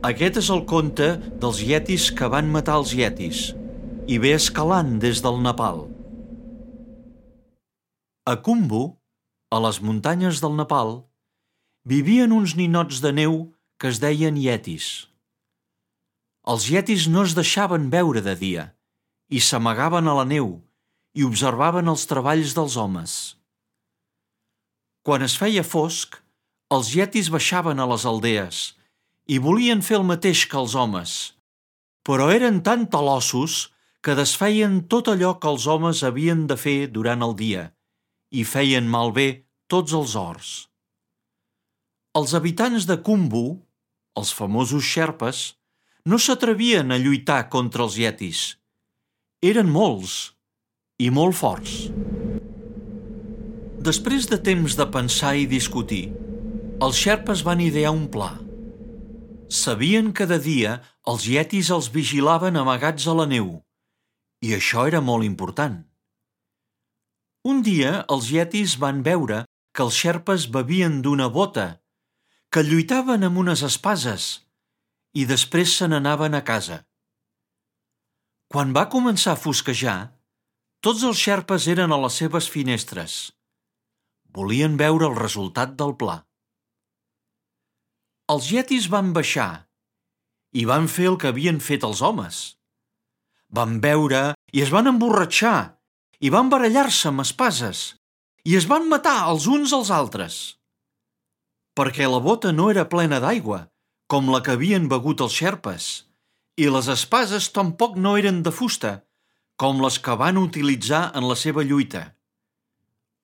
Aquest és el conte dels ietis que van matar els ietis i ve escalant des del Nepal. A Khumbu, a les muntanyes del Nepal, vivien uns ninots de neu que es deien ietis. Els ietis no es deixaven veure de dia i s'amagaven a la neu i observaven els treballs dels homes. Quan es feia fosc, els ietis baixaven a les aldees i volien fer el mateix que els homes, però eren tan talossos que desfeien tot allò que els homes havien de fer durant el dia i feien malbé tots els horts. Els habitants de Khumbu, els famosos xerpes, no s'atrevien a lluitar contra els ietis. Eren molts i molt forts. Després de temps de pensar i discutir, els xerpes van idear un pla. Sabien que de dia els ietis els vigilaven amagats a la neu, i això era molt important. Un dia els ietis van veure que els xerpes bevien d'una bota, que lluitaven amb unes espases i després se n'anaven a casa. Quan va començar a fosquejar, tots els xerpes eren a les seves finestres. Volien veure el resultat del pla. Els ietis van baixar i van fer el que havien fet els homes. Van beure i es van emborratxar i van barallar-se amb espases i es van matar els uns als altres. Perquè la bota no era plena d'aigua, com la que havien begut els xerpes, i les espases tampoc no eren de fusta, com les que van utilitzar en la seva lluita.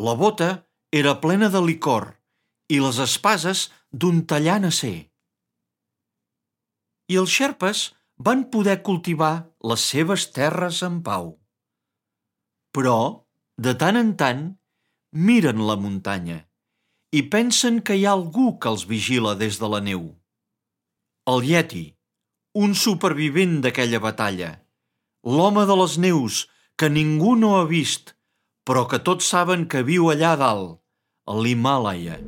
La bota era plena de licor i les espases d'un tallant acer. I els xerpes van poder cultivar les seves terres en pau. Però, de tant en tant, miren la muntanya i pensen que hi ha algú que els vigila des de la neu. El ieti, un supervivent d'aquella batalla, l'home de les neus que ningú no ha vist, però que tots saben que viu allà dalt, a l'Himàlaia.